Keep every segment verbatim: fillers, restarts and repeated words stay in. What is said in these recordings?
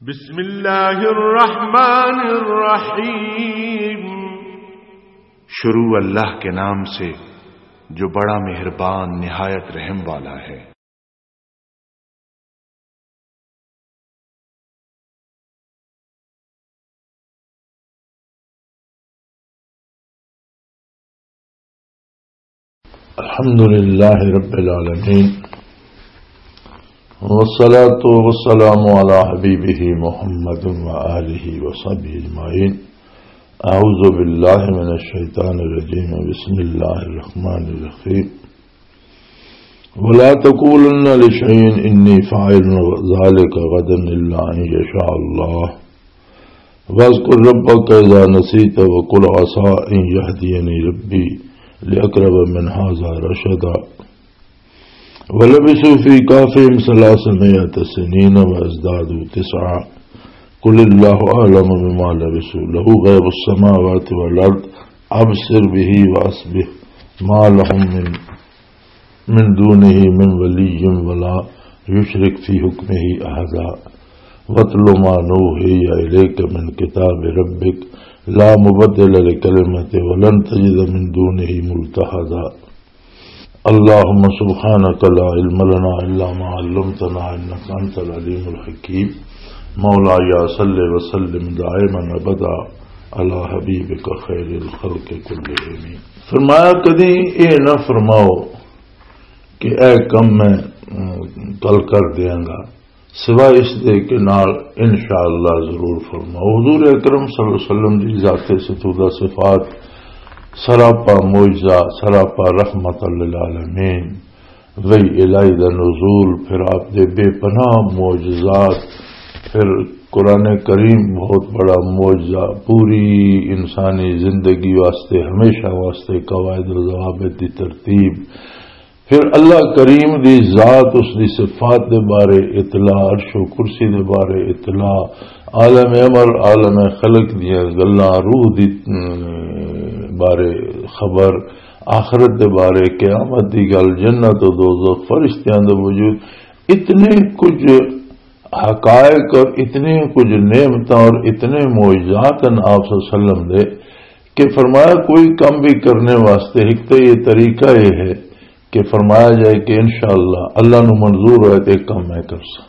بسم اللہ الرحمن الرحیم۔ شروع اللہ کے نام سے، جو بڑا مہربان، نہایت رحم والا ہے۔ الحمد لله رب العالمين، والصلاة والسلام على حبيبه محمد وآله وصحبه أجمعين. أعوذ بالله من الشيطان الرجيم. بسم الله الرحمن الرحيم. ولا تقولن لشيء إني فاعل ذلك غدا إلا أن يشاء الله. واذكر ربك إذا نسيت وقل عسى أن يهديني ربي لأقرب من هذا رشدا. ولبثوا في كهفهم ثلاثمائة سنين وازدادوا تسعا. قل الله أعلم بما لبثوا له غيب السماوات والأرض أبصر به وأسبح ما لهم من من دونه من ولي ولا يشرك في حكمه أحدا. واتل ما نوحي إليك من كتاب ربك لا مبدل لكلمته ولن تجد من دونه ملتحدا. اللهم سبحانك لا علم لنا إلا ما علمتنا إنك أنت العليم الحكيم. مولاي صل وسلم دائما أبدا على حبيبك خير الخلق كلهم. فرمایا، کدی اے نہ فرماؤ کہ اے کم میں، ام، کل کر دیاں گا، سوائے اس دے کہ نال انشاءاللہ ضرور فرماؤ۔ حضور اکرم صلی اللہ علیہ وسلم دی ذات ستودہ صفات، سراپا معجزہ، سراپا رحمت للعالمین، وحی الہی دا نزول، پھر آپ دے بے پناہ معجزات، پھر قرآن کریم بہت بڑا معجزہ، پوری انسانی زندگی واسطے، ہمیشہ واسطے قواعد و ضوابط دی ترتیب، پھر اللہ کریم دی ذات، اس دی صفات دے بارے اطلاع، عرش و کرسی دے بارے اطلاع، عالم امر، عالم خلق دیاں گلاں، روح دی، ام، بارے خبر، آخرت دے بارے، قیامت دی گل، جنت و دوزخ، فرشتیاں دا وجود، اتنے کچھ حقائق اور اتنے کچھ نعمتاں اور اتنے معجزات ہیں آپ صلی اللہ علیہ وسلم دے کہ فرمایا، کوئی کم بھی کرنے واسطے ایک تو یہ طریقہ یہ ہے کہ فرمایا جائے کہ انشاءاللہ اللہ نو منظور ہوئے تو ایک کم میں کر سا۔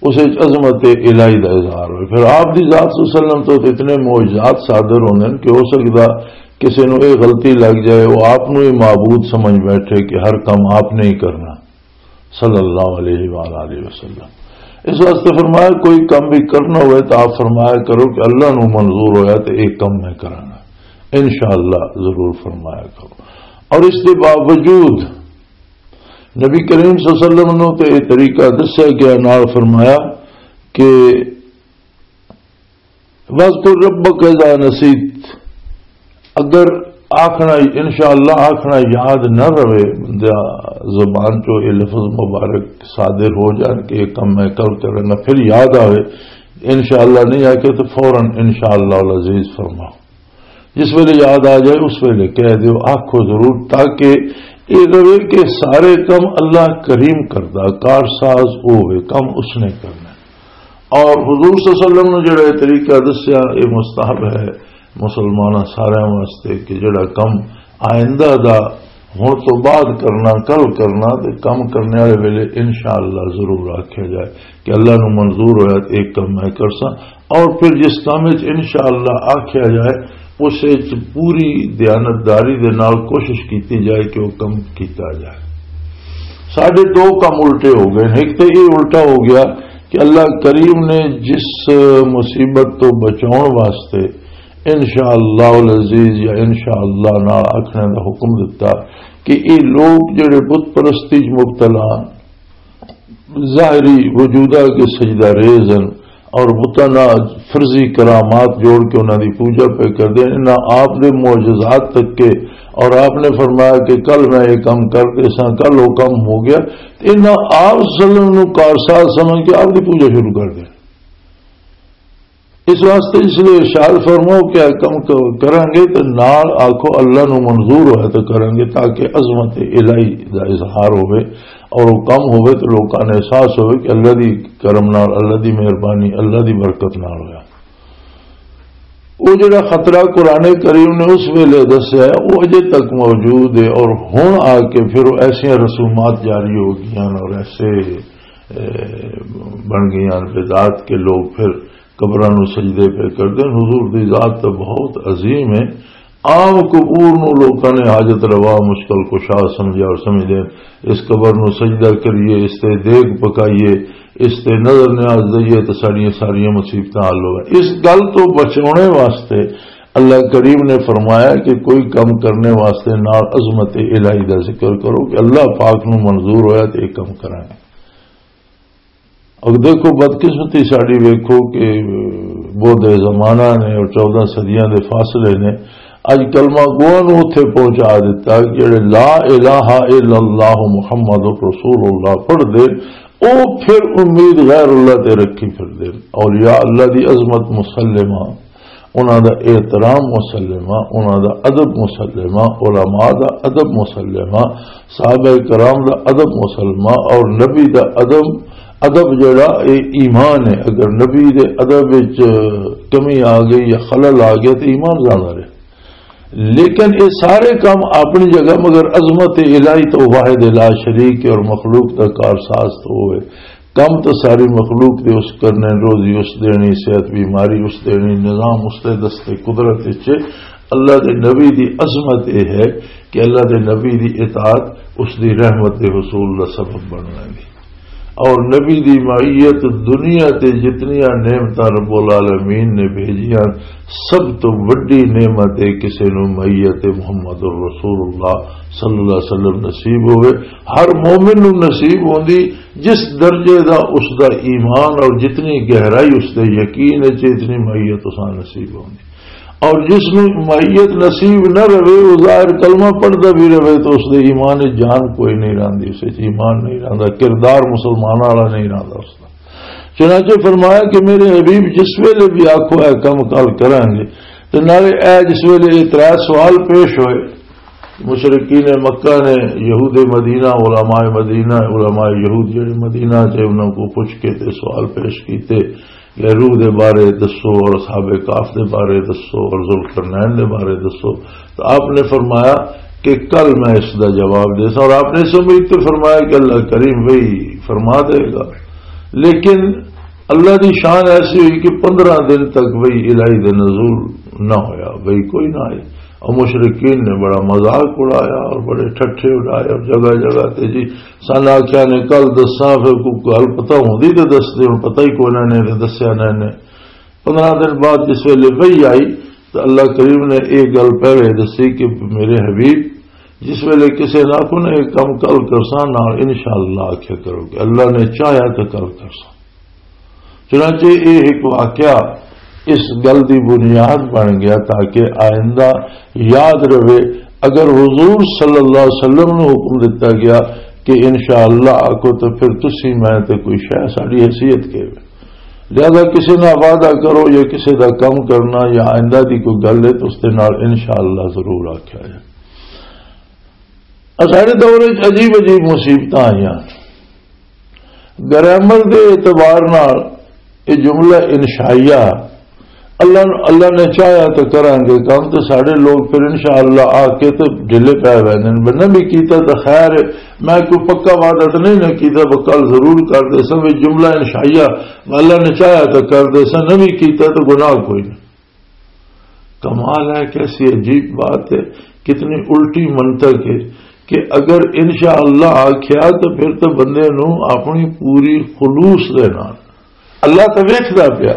اس وچ عظمت الہی دا اظہار ہوئے۔ پھر آپ دی ذات صلی اللہ علیہ وسلم تو اتنے معجزات صادر ہوندے ہیں کہ ہو سکدا کسی نو یہ غلطی لگ جائے، وہ آپ نو ہی معبود سمجھ بیٹھے کہ ہر کم آپ نے ہی کرنا، صلی اللہ علیہ وآلہ وسلم۔ اس واسطے فرمایا، کوئی کم بھی کرنا ہوئے تو آپ فرمایا کرو کہ اللہ نو منظور ہویا تو ایک کم میں کرانا، انشاءاللہ ضرور فرمایا کرو۔ اور اس کے باوجود نبی کریم صلی اللہ علیہ وسلم نو تے یہ طریقہ دسیا گیا، نال فرمایا کہ وَاذْكُر رَّبَّكَ إِذَا نَسِيتَ، اگر آکھنا، انشاءاللہ آکھنا یاد نہ رہے، بندہ زبان چوں یہ لفظ مبارک صادر ہو جان کہ یہ کم میں کل کرنا، پھر یاد آوے، انشاءاللہ نہیں آکھے تو فوراً انشاءاللہ العزیز فرماؤ۔ جس ویلے یاد آ جائے، اس ویلے کہہ دیو، آکھو ضرور، تاکہ یہ رہے کہ سارے کم اللہ کریم کردا، کارساز وہ ہوئے، کم اس نے کرنا۔ اور حضور صلی اللہ علیہ وسلم نے جڑا یہ طریقہ دسیا، یہ مستحب ہے مسلماناں سارے واسطے کہ جڑا کم آئندہ دا ہن تو بعد کرنا، کل کرنا، تے کم کرنے والے ویلے انشاءاللہ ضرور آکھیا جائے کہ اللہ نو منظور ہویا تے ایک کم میں کرساں۔ اور پھر جس کام وچ انشاءاللہ آکھیا جائے، اس وچ پوری دیانتداری دے نال کوشش کیتی جائے کہ وہ کم کیتا جائے۔ ساڈے دو کم الٹے ہو گئے۔ ایک تے یہ الٹا ہو گیا کہ اللہ کریم نے جس مصیبت تو بچاؤن واسطے انشاءاللہ العزیز یا انشاءاللہ نال آکھنے دا حکم دتا کہ یہ لوگ جڑے بت پرستی چ مبتلا ہن، ظاہری وجودہ کے سجدہ ریز ہن اور بتاں نال فرضی کرامات جوڑ کے انہاں دی پوجا پہ کردے ہن، انہاں آپ دے معجزات تک کے، اور آپ نے فرمایا کہ کل میں یہ کم کر کے ساں، کل وہ کم ہو گیا، تے انہاں آپ صلی اللہ علیہ وسلم نو کارساز سمجھ کے آپ دی پوجا شروع کر دے۔ اس واسطے اس لیے ارشاد فرماؤ کہ اے کم ک-، کریں گے تے نال آکھو اللہ نو منظور ہوئے تے کریں گے، تاکہ عظمت الہی دا اظہار ہوئے اور وہ کم ہوئے تے لوکاں نے احساس ہوئے کہ اللہ دی کرم نال، اللہ دی مہربانی، اللہ دی برکت نال ہویا۔ وہ جڑا خطرہ قرآن کریم نے اس ویلے دسیا ہے، وہ اجے تک موجود ہے، اور ہن آ کے پھر وہ ایسیاں رسومات جاری ہو گئیاں اور ایسے، اے، بن گئیاں بدعات کے لوگ پھر قبراں نو سجدے پہ کردے۔ حضور دی ذات تو بہت عظیم ہے۔ عام قبور نو لوکاں نے حاجت روا، مشکل کشا سمجھا اور سمجھدے، اس قبر نو سجدہ کریے، اس تے دیگ پکائیے، اس تے نظر نیاز دئیے تے ساڈیاں ساریاں مصیبتاں حل ہوئے۔ اس گل تو بچاؤنے واسطے اللہ کریم نے فرمایا کہ کوئی کم کرنے واسطے نال عظمت الہی دا ذکر کرو کہ اللہ پاک نو منظور ہویا تے ایک کم کرنا ہے۔ اور دیکھو، بدقسمتی ساڈی ویکھو کہ بودھ زمانہ نے اور چودہ صدیاں دے فاصلے نے اج کلمہ گواں نوں اتھے پہنچا دتا کہ جڑے لا الہ الا اللہ محمد رسول اللہ پڑھ دے، او پھر امید غیر اللہ تے رکھی پھر دے۔ اولیاء اللہ دی عظمت مسلمہ، انہاں دا احترام مسلمہ، انہاں دا ادب مسلمہ، علماء دا ادب مسلمہ، صحابہ کرام دا ادب مسلمہ، اور نبی دا ادب، ادب جڑا اے ایمان ہے۔ اگر نبی دے ادب وچ کمی آ گئی یا خلل آ گیا تو ایمان جانا رہے۔ لیکن یہ سارے کام اپنی جگہ، مگر عظمت الہی تو واحد لا شریک ہے اور مخلوق دا کارساز تو ہوئے۔ کم تو ساری مخلوق دے اس کرنے، روزی اس دینی، صحت بیماری اس دینی، نظام اس دے دستے قدرت وچ۔ اللہ دے نبی دی عظمت یہ ہے کہ اللہ دے نبی دی اطاعت اس دی رحمت دے حصول دا سبب بن لگی۔ اور نبی دی معیت دنیا تے جتنیاں نعمتاں رب العالمین نے بھیجیاں، سب تو وڈی نعمت ہے کسے نو معیت محمد الرسول اللہ صلی اللہ علیہ وسلم نصیب ہوئے۔ ہر مومن نو نصیب ہوندی، جس درجے دا اس دا ایمان اور جتنی گہرائی اس دے یقین ہے، اتنی معیت اساں نصیب ہوندی۔ اور جس نو معیت نصیب نہ رہے، وہ ظاہر کلمہ پڑھدا بھی رہے تو اس دے ایمان وچ جان کوئی نہیں رہندی، اس وچ ایمان نہیں رہندا، کردار مسلمان والا نہیں رہندا اس دا۔ چنانچہ فرمایا کہ میرے حبیب جس ویلے بھی آکھو اے کم کل کریں گے، تے نالے اے جس ویلے یہ ترے سوال پیش ہوئے، مشرکین مکہ نے، یہود مدینہ، علماء مدینہ، علماء یہود جڑے مدینہ چ انہاں کو پوچھ کے تے سوال پیش کیتے، کہ روح دے بارے دسو اور اصحاب کہف دے بارے دسو اور ذوالقرنین دے بارے دسو۔ تو آپ نے فرمایا کہ کل میں اس دا جواب دے سا، اور آپ نے اس امید تے فرمایا کہ اللہ کریم وہی فرما دے گا۔ لیکن اللہ دی شان ایسی ہوئی کہ پندرہ دن تک وہی الہی دے نزول نہ ہویا، وہی کوئی نہ آئی۔ اور مشرکین نے بڑا مذاق اڑایا اور بڑے ٹھٹھے اڑائے اور جگہ جگہ تے جی سن آخیا نے کل دساں، پھر کوئی گل پتہ ہوندی تے دسدے، ہن پتہ ہی کوئی نہ نے تے دسیا نہ نے۔ پندرہ دن بعد جس ویلے وحی آئی تو اللہ کریم نے یہ گل پہلے دسی کہ میرے حبیب، جس ویلے کسے نہ کو نے کم کل کرساں نال انشاءاللہ آکھیا کرو کہ اللہ نے چاہیا تو کل کرساں۔ چنانچہ یہ ایک واقعہ اس گل دی بنیاد بن گیا تاکہ آئندہ یاد رہے۔ اگر حضور صلی اللہ علیہ وسلم نو حکم دتا گیا کہ انشاءاللہ آکو تو پھر تسی میں تے کوئی شے ساڈی حیثیت کے وے۔ لہذا کسے نال وعدہ کرو یا کسے دا کم کرنا یا آئندہ دی کوئی گل ہے تو اس دے نال انشاءاللہ ضرور آکھیا جائے۔ ساڈے دور وچ عجیب عجیب مصیبتاں آئیاں۔ گرامر دے اعتبار نال یہ جملہ انشائیہ، اللہ، اللہ نے چاہیا تو کراں گے کم، تو ساڈے لوگ پھر انشاءاللہ آ کے تو ڈھلے پے ویندے نے۔ نہ بھی کیتا تو خیر ہے، میں کوئی پکا وعدہ تو نہیں نہ کیتا، پر کل ضرور کر دے سا۔ یہ جملہ انشائیہ، اللہ نے چاہیا تو کر دے سا، نہ بھی کیتا تو گناہ کوئی نہیں۔ کمال ہے، کیسی عجیب بات ہے، کتنی الٹی منطق ہے کہ اگر انشاءاللہ آکھیا تو پھر تو بندے نو اپنی پوری خلوص دے نال، اللہ تو ویکھدا پیا،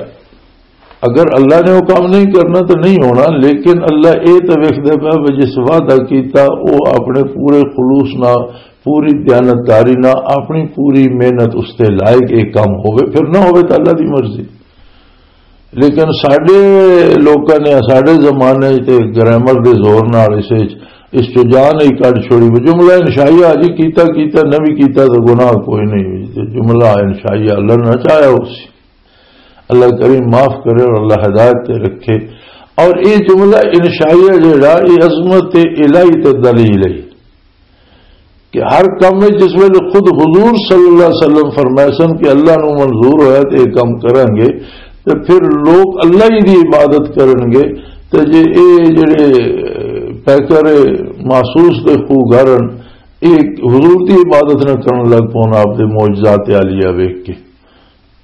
اگر اللہ نے وہ کام نہیں کرنا تو نہیں ہونا، لیکن اللہ اے تو ویکھدا پیا بھی جس وعدہ کیتا وہ اپنے پورے خلوص نال، پوری دیانتداری نال، اپنی پوری محنت اس تے لائے کہ یہ کام ہوئے، پھر نہ ہوئے تو اللہ دی مرضی۔ لیکن ساڈے لوکاں نے ساڈے زمانے تے گرامر دے زور نال اس وچ، اس چ جان ہی کڈ چھوڑی۔ وہ جملہ انشائیہ جی کیتا، کیتا، نہ بھی کیتا تو گناہ کوئی نہیں۔ تے جملہ انشائیہ اللہ نہ چاہیا ہو سی۔ اللہ کریم معاف کرے اور اللہ ہدایت تے رکھے۔ اور یہ جملہ انشائیہ جڑا، یہ عظمت الہی تے دلیل ہے کہ ہر کم وچ جس ویلے خود حضور صلی اللہ علیہ وسلم فرمائے سن کہ اللہ نو منظور ہویا تے یہ کم کرن گے، تے پھر لوگ اللہ ہی دی عبادت کرن گے۔ تے جے اے جڑے پیکر محسوس دے خوگارن، اے حضور دی عبادت نہ کرن لگ پون آپ دے معجزات عالیہ ویکھ کے۔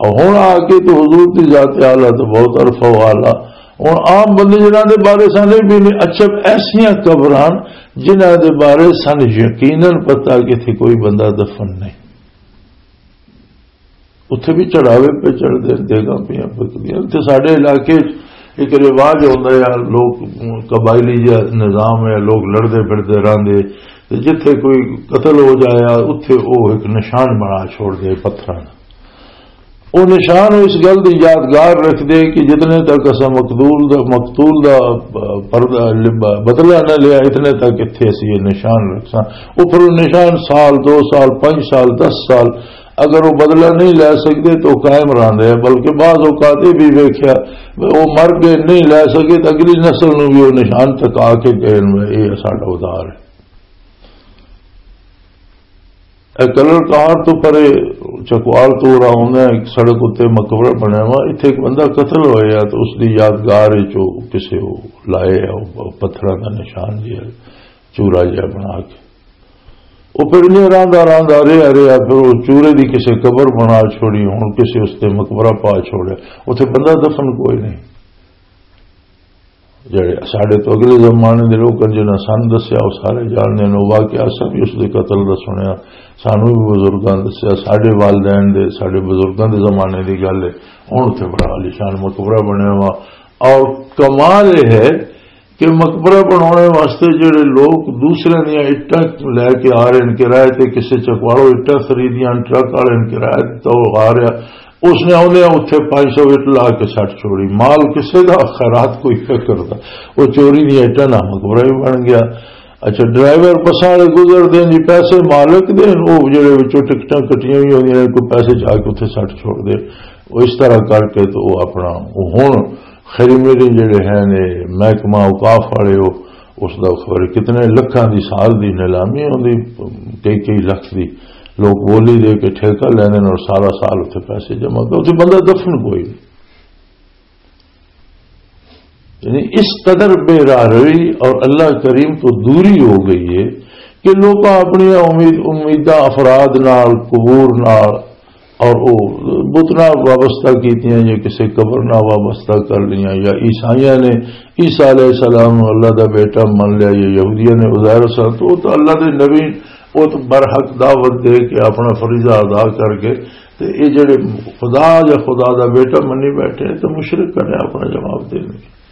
اور ہن آ کے تو حضور دی ذات اعلیٰ تو بہت عرفہ و اعلیٰ۔ ہن عام بندے جنہاں دے بارے سن یہ بھی نہیں، اچھا، ایسیاں قبراں جنہاں دے بارے سن یقیناً پتہ کہ اتھے کوئی بندہ دفن نہیں، اتھے بھی چڑھاوے پہ چڑھدے، دیگاں پیاں پکدیاں۔ اتھے ساڈے علاقے چ ایک رواج ہوندا ہے، لوگ قبائلی جا نظام ہے، لوگ لڑدے پھردے رہندے، تے جتھے کوئی قتل ہو جایا، اتھے او ایک نشان بنا چھوڑ دے پتھراں دا۔ او نشان اس گل دی یادگار رکھ دے کہ جتنے تک اساں مقتول دا، مقتول دا پردہ، بدلہ نہ لیا، اتنے تک اتھے اسی یہ نشان رکھساں۔ او پھر او نشان سال، دو سال، پنج سال، دس سال، اگر وہ بدلہ نہیں لے سکتے تو قائم رہندے ہیں، بلکہ بعض اوقات یہ بھی ویکھیا، وہ مر گئے، نہیں لے سکے تو اگلی نسل نو بھی وہ نشان تک آ کے کہن میں یہ ساڈا ادھار ہے۔ اے کلر کار تو پرے چکوال تو رہا ہوں، ایک سڑک اتنے مقبرہ بنیا ہوا، اتنے ایک بندہ قتل ہویا تو اس دی یادگار وچ او کسے وہ لائے آ، وہ پتھراں دا نشان جہا، چورا جہا بنا کے۔ وہ پھر میں رہندا رہندا رہیا رہیا، پھر وہ چورے دی کسے قبر بنا چھوڑی، ہن کسے اس تے مقبرہ پا چھوڑے، اتنے بندہ دفن کوئی نہیں۔ جڑے ساڈے تو اگلے زمانے دے لوگ ہن، جنہاں سن دسیا، وہ سارے جاننے نے، وہ واقعہ سب ہی اس دے قتل دا سنیا، سانو بھی بزرگاں دسیا، ساڈے والدین دے، ساڈے بزرگاں دے زمانے دی گل ہے۔ ہن اتنے بڑا عالیشان مقبرہ بنیا وا، اور کمال یہ ہے کہ مقبرہ بنانے واسطے جڑے لوگ دوسرے دیاں اٹاں لے کے آ رہے ہیں کرائے تے، کسے چکواڑوں اٹاں خریدیاں، ٹرک والے نے کرائے تے تو آ رہا، اس نے آدھے اتنے پانچ سو اٹ لا کے سٹ چھوڑی، مال کسے دا، خیرات کوئی نہ کرتا، وہ چوری دیاں اٹاں نہ مقبرہ بھی بن گیا۔ اچھا، ڈرائیور بساں والے گزرتے ہیں جی، پیسے مالک دے، وہ جڑے وچوں ٹکٹاں کٹیاں ہوئی ہوندیاں نے، کوئی پیسے جا کے اتنے سٹ چھوڑ دے۔ وہ اس طرح کر کے تو وہ اپنا، وہ ہن خیری میری جڑے ہیں نے محکمہ اوقاف والے، وہ اس دا خبر کتنے لکھاں دی سال دی نیلامی ہوندی، کئی کئی لکھ دی لوگ بولی دے کے ٹھیکہ لینے اور سارا سال اتنے پیسے جمع کر، اتنے بندہ دفن کوئی نہیں۔ یعنی اس قدر بے راہ روی اور اللہ کریم تو دوری ہو گئی ہے کہ لوگ اپنی امید، امیداں افراد نال، قبور نال، اور وہ بتنا وابستہ کیتیاں یا کسی قبر نال وابستہ کر لیاں، یا عیسائیاں نے عیسیٰ علیہ السلام نو اللہ دا بیٹا من لیا، یا یہودیاں نے عزیر السلام، تو وہ تو اللہ دے نبی، وہ تو برحق دعوت دے کے اپنا فریضہ ادا کر کے، تے یہ جڑے خدا یا خدا دا بیٹا منی بیٹھے ہیں، تو مشرک نے اپنا جواب دینے۔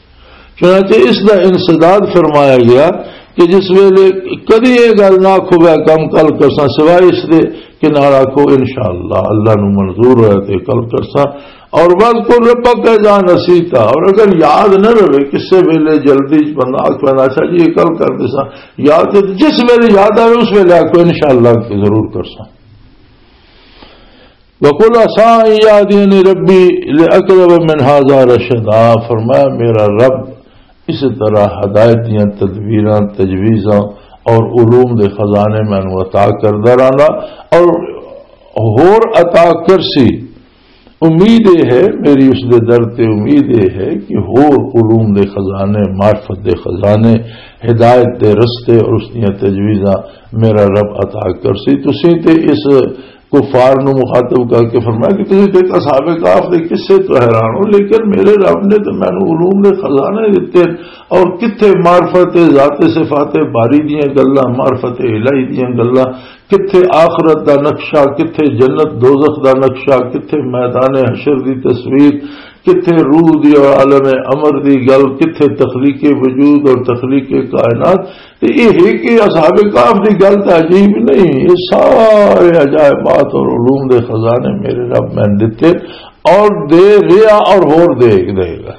چنانچہ اس دا انسداد فرمایا گیا کہ جس ویلے کدی یہ گل نہ آکھو، "میں کم کل کرساں"، سوائے اس دے کہ نال آکھو، "انشاءاللہ، اللہ نو منظور ہویا تے کل کرساں۔" اور "وَاذْكُر رَّبَّكَ إِذَا نَسِيتَ"، اور اگر یاد نہ رہے، کسے ویلے جلدی چ بندہ آکھ پیندا، "اچھا جی، یہ کل کر دیساں"، یاد تے جس ویلے یاد آوے، اس ویلے آکھو، "انشاءاللہ، ضرور کرساں۔" وَقُلْ عَسَىٰ أَن يَهْدِيَنِ رَبِّي لِأَقْرَبَ مِنْ هَٰذَا رَشَدًا، فرمایا، میرا رب اس طرح ہدایت دیاں تدبیراں، تجویزاں اور علوم دے خزانے مینوں عطا کردا رہنا، اور ہور عطا کرسی۔ امید یہ ہے، میری اس دے در تے امید یہ ہے کہ ہور علوم دے خزانے، معرفت دے خزانے، ہدایت دے رستے اور اس دیاں تجویزاں میرا رب عطا کرسی۔ تسی تے اس کفار نو مخاطب کر کے فرمایا کہ تسی تے اصحاب کہف دے قصے تو حیران ہو، لیکن میرے رب نے تو مینوں علوم دے خزانے دتے، اور کتھے معرفت ذات صفات باری دیاں گلاں، معرفت الہی دیاں گلاں، کتھے آخرت دا نقشہ، کتھے جنت دوزخ دا نقشہ، کتھے میدان حشر دی تصویر، کتھے روح دی اور عالم امر دی گل، کتھے تخلیق وجود اور تخلیق کائنات۔ تے یہ ہے کہ اصحاب کہف دی گل تو عجیب نہیں، یہ سارے عجائبات اور علوم دے خزانے میرے رب میں دتے اور دے رہا اور ہور دے، دے گا۔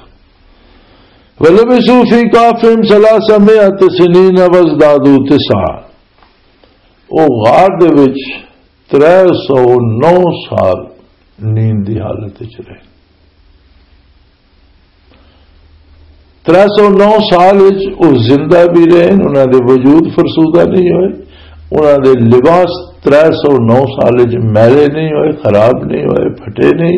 وَلَبِثُوا فِي كَهْفِهِمْ ثَلَاثَ مِائَةِ سِنِينَ وَازْدَادُوا تِسْعًا، وہ غار دے وچ ترے سو نو سال نیند دی حالت وچ رہے۔ ترے سو نو سال وچ او زندہ بھی رہے، انہاں دے وجود فرسودہ نہیں ہوئے، انہاں دے لباس ترے سو نو سال وچ میلے نہیں ہوئے، خراب نہیں ہوئے، پھٹے نہیں،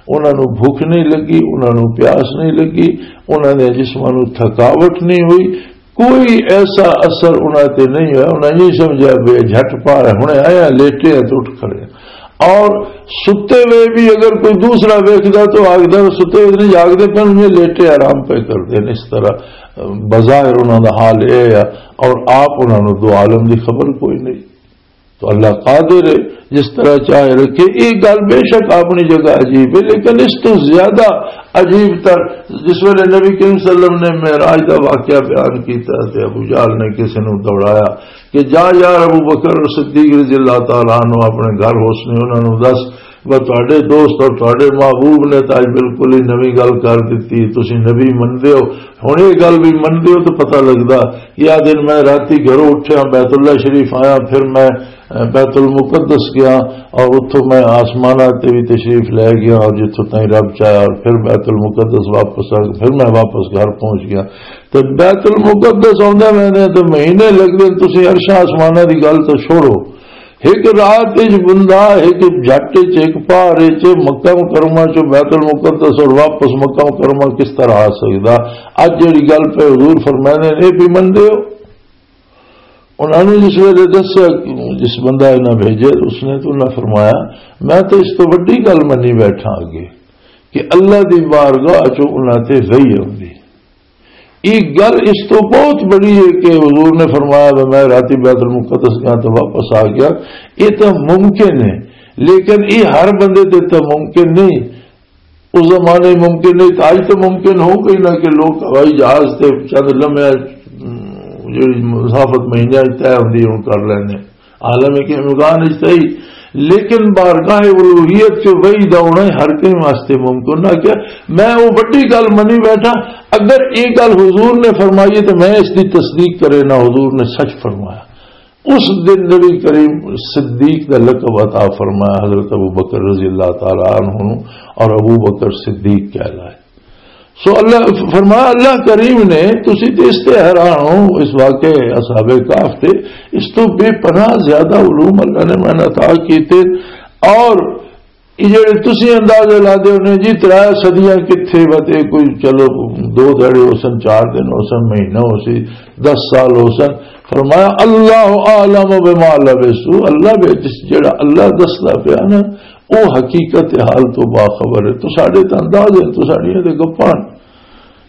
انہاں نوں بھوک نہیں لگی، انہاں نوں پیاس نہیں لگی، انہاں دے جسماں نوں تھکاوٹ نہیں ہوئی، کوئی ایسا اثر انہاں تے نہیں ہویا۔ انہاں یہ سمجھا بھی جھٹ پار ہے، ہنے آیا، لیٹے ہیں تو اٹھ کھڑے ہیں۔ اور ستے ہوئے بھی اگر کوئی دوسرا ویکھدا تو آگدا، ستے ہوئے نہیں جاگدے پن، یہ لیٹے آرام پہ کردے نے۔ اس طرح بظاہر انہاں دا حال اے ہے، اور آپ انہاں نوں دو عالم دی خبر کوئی نہیں۔ تو اللہ قادر ہے، جس طرح چاہے رکھے۔ یہ گل بے شک اپنی جگہ عجیب ہے، لیکن اس تو زیادہ عجیب تر جس ویلے نبی کریم صلی اللہ علیہ وسلم نے معراج دا واقعہ بیان کیتا تے ابو جہل نے کسی نوں دوڑایا کہ جا یار ابو بکر صدیق رضی اللہ تعالیٰ عنہ اپنے گھر حسن انہاں نوں دس، وہ تہاڈے دوست اور تہاڈے محبوب نے تو اج بالکل ہی نویں گل کر دتی، تسی نبی مندے ہو، ہن یہ گل بھی مندے ہو تو پتہ لگدا۔ یا دن میں راتی گھروں اٹھیا، بیت اللہ شریف آیا، پھر میں بیت المقدس گیا اور اتھوں میں آسماناں تے بھی تشریف لے گیا اور جتھوں تائیں رب چاہیا اور پھر بیت المقدس واپس آ گیا، پھر میں واپس گھر پہنچ گیا۔ تے بیت المقدس آندے میں نے تے مہینے لگدے، تسی عرشاں آسماناں دی گل تے چھوڑو۔ ایک رات وچ بندہ ایک جھٹ وچ، ایک پہر وچ مکہ مکرمہ چوں بیت المقدس اور واپس مکہ مکرمہ کس طرح آ سکدا؟ اج جڑی گل پہ حضور فرماندے نے، یہ بھی مندے ہو؟ انہاں نوں جس ویلے دسیا، جس بندہ انہاں بھیجے، اس نے تو انہاں فرمایا، میں تو اس تو وڈی گل منی بیٹھا اگے کہ اللہ دی بارگاہ چوں انہاں تے وحی آندی۔ یہ گل اس تو بہت بڑی ہے کہ حضور نے فرمایا، "میں راتی بیت المقدس گیا تو واپس آ گیا۔" یہ تو ممکن ہے، لیکن یہ ہر بندے تے تو ممکن نہیں۔ اس زمانے ممکن نہیں، تو اج تو ممکن ہو گئی نا کہ لوگ ہوائی جہاز تے چند لمحے، ام، جڑی مسافت مہینے اچ طے ہوندی، ہن کر لیندے۔ عالم کے امکان اچ صحیح، لیکن بارگاہ الوہیت چ وحی دا ہونا ہر کہیں واسطے ممکن نہ۔ کہ میں وہ وڈی گل منی بیٹھا، اگر یہ گل حضور نے فرمائی ہے تو میں اس دی تصدیق کرے نہ، حضور نے سچ فرمایا۔ اس دن نبی کریم صدیق دا لقب عطا فرمایا حضرت ابو بکر رضی اللہ تعالی عنہ نوں، اور ابو بکر صدیق کہلائے۔ سو اللہ فرمایا، اللہ کریم نے، تسی تے اس تے حیران ہو، اس واقعے اصحاب کہف تے، اس تو بے پناہ زیادہ علوم اللہ نے میں عطا کیتے۔ اور یہ جڑے تسی اندازے لاندے ہونے جی، ترے صدیاں کتھے وتے، کوئی چلو دو دھڑے ہو سن، چار دن ہو سن، مہینہ ہو سی، دس سال ہو سن، فرمایا، "اللہ اعلم بما لبثوا"، اللہ بے جس، جڑا اللہ دسدا پیا نا، او حقیقت حال تو باخبر ہے۔ تو ساڈے تے انداز ہے، تو ساڈیاں تے گپاں۔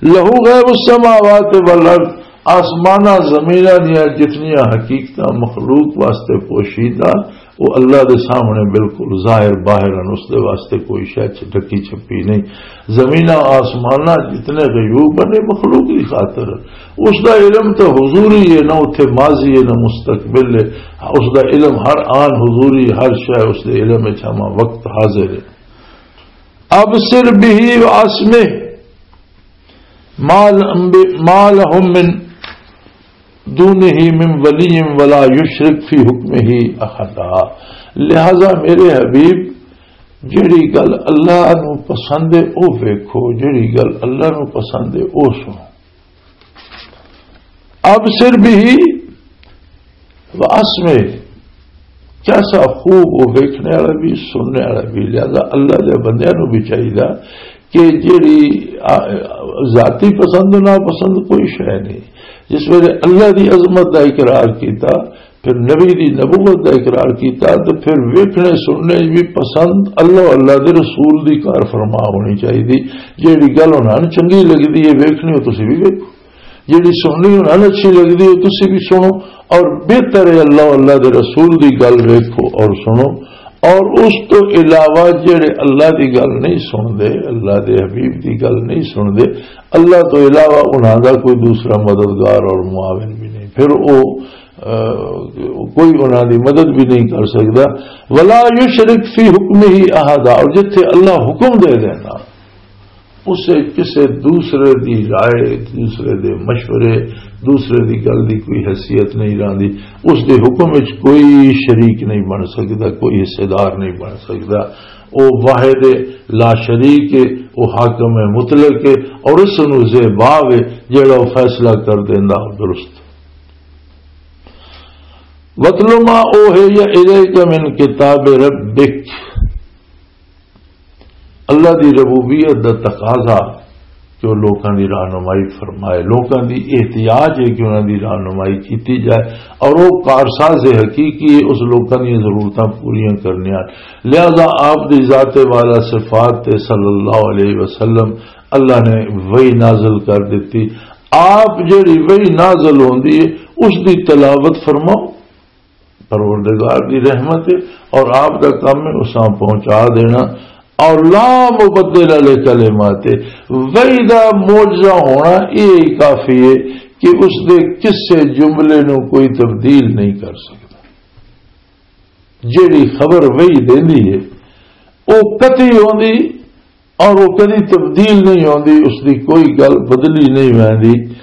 "لہو غیب السماوات والارض"، آسماناں زمیناں دیاں جتنیاں حقیقتاں مخلوق واسطے پوشیدہ، وہ اللہ دے سامنے بالکل ظاہر باہر ہیں، اس دے واسطے کوئی شے چ-، ڈھکی چھپی نہیں۔ زمیناں آسماناں جتنے غیوب ہیں، یہ مخلوق دی خاطر ہے۔ اس دا علم تو حضوری ہے، نہ اتھے ماضی ہے، نہ مستقبل ہے۔ اس دا علم ہر آن حضوری، ہر شے اس دے علم وچ ہمہ وقت حاضر ہے۔ ابصر به واسمع ما ل-، ما لهم من دونه من ولی ولا یشرک فی حکمہ احدا۔ لہذا میرے حبیب، جڑی گل اللہ نو پسند ہے، او ویکھو، جڑی گل اللہ نو پسند ہے، او سنو۔ ابصر به واسمع، کیسا خوب وہ ویکھنے والا بھی، سننے والا بھی۔ لہذا اللہ دے بندیاں نو بھی چاہیدا کہ جیڑی، آ، ذاتی پسند و ناپسند کوئی شے نہیں۔ جس ویلے اللہ دی عظمت دا اقرار کیتا، پھر نبی دی نبوت دا اقرار کیتا، تے پھر ویکھنے سننے بھی پسند اللہ، اللہ دے رسول دی کار فرما ہونی چاہیے۔ جیڑی گل انہاں نوں چنگی لگدی ہے ویکھنی، او تسی بھی ویکھو۔ جیڑی سننی انہاں نوں اچھی لگدی ہے، تسی بھی سنو۔ اور بہتر ہے اللہ، اللہ دے رسول دی گل ویکھو اور سنو۔ اور اس تو علاوہ جڑے اللہ دی گل نہیں سن دے، اللہ دے حبیب دی گل نہیں سن دے، اللہ تو علاوہ انہاں دا کوئی دوسرا مددگار اور معاون بھی نہیں، پھر او، آ، کوئی انہاں دی مدد بھی نہیں کر سکدا۔ ولا یشرک فی حکمہ احدا، اور جتھے اللہ حکم دے دینا، اسے کسے دوسرے دی رائے، دوسرے دے مشورے، دوسرے دی گل دی کوئی حیثیت نہیں رہندی، اس دے حکم وچ کوئی شریک نہیں بن سکدا، کوئی حصے دار نہیں بن سکدا۔ او واحد لا شریک ہے، او حاکم مطلق ہے، اور اس نو زیبا وے جڑا او فیصلہ کر دیندا درست۔ وَاتْلُ مَا أُوحِيَ إِلَيْكَ مِنْ كِتَابِ رَبِّكَ۔ اللہ دی ربوبیت دا تقاضا کہ وہ لوکاں دی رہنمائی فرمائے، لوکاں دی احتیاج ہے کہ انہاں دی رہنمائی کیتی جائے، اور وہ کارساز حقیقی ہے، اس لوکاں دی ضرورتاں پوریاں کرنیاں۔ لہذا آپ دی ذات والا صفات تے صلی اللہ علیہ وسلم اللہ نے وحی نازل کر دیتی۔ آپ جڑی وحی نازل ہوندی ہے، اس دی تلاوت فرماؤ، پروردگار دی رحمت ہے، اور آپ دا کام ہے اساں پہنچا دینا۔ اور لا مبدل علی کلمات، وحی دا معجزہ ہونا یہ کافی ہے کہ اس دے کسے جملے نو کوئی تبدیل نہیں کر سکتا۔ جیڑی خبر وحی دیندی ہے، او قطعی ہوندی، اور وہ کدی تبدیل نہیں ہوندی، اس دی کوئی گل بدلی نہیں ویندی۔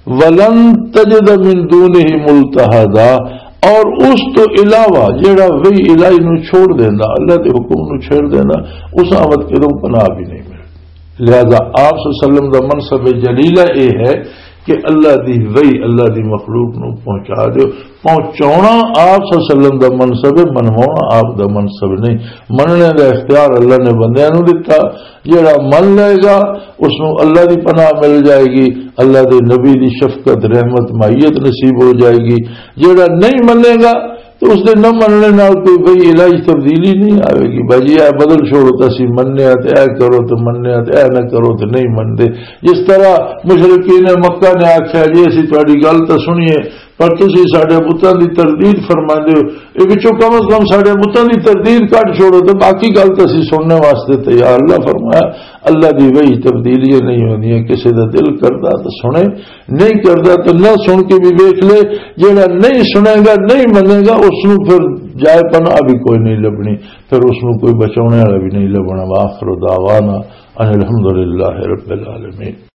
وَلَن تَجِدَ مِن دُونِهِ مُلْتَحَدًا، اور اس تو علاوہ جڑا وحی الہی نو چھوڑ دیندا، اللہ دے حکم نو چھوڑ دیندا، اس آمد کدوں پناہ بھی نہیں ملدی۔ لہذا آپ صلی اللہ علیہ وسلم دا منصب جلیلہ اے ہے کہ اللہ دی وحی اللہ دی مخلوق نو پہنچا دیو۔ پہنچاونا آپ صلی اللہ علیہ وسلم دا منصب ہے، منواونا آپ دا منصب نہیں۔ مننے دا اختیار اللہ نے بندیاں نو دتا۔ جیڑا من لے گا، اس نو اللہ دی پناہ مل جائے گی، اللہ دے نبی دی شفقت، رحمت، معیت نصیب ہو جائے گی۔ جیڑا نہیں منے گا، تو اس دے نہ مننے نال کوئی بھئی الہی تبدیلی نہیں آوے گی۔ بھائی اے بدل چھوڑو تے اسی مننے آ، تے اے کرو تے مننے آ، تے اے نہ کرو تے نہیں منتے۔ جس طرح مشرکین مکہ نے آکھیا، "جی اسی تہاڈی گل تے سنیے، پر تسی ساڈے بتاں دی تردید فرماندے ہو، اے وچوں کم از کم ساڈے بتاں دی تردید کڈ چھوڑو تے باقی گل تے اسی سننے واسطے تیار۔" اللہ فرمایا، اللہ دی وحی تبدیلیاں نہیں ہوندیاں، کسے دا دل کردا تے سنے، نہیں کردا تے نہ سن کے بھی ویکھ لے۔ جیڑا نہیں سنے گا، نہیں منے گا، اس نو پھر جائے پناہ بھی کوئی نہیں لبنی، پھر اس نو کوئی بچاونے والا بھی نہیں لبنا۔ وآخر دعوانا ان الحمدللہ رب العالمین۔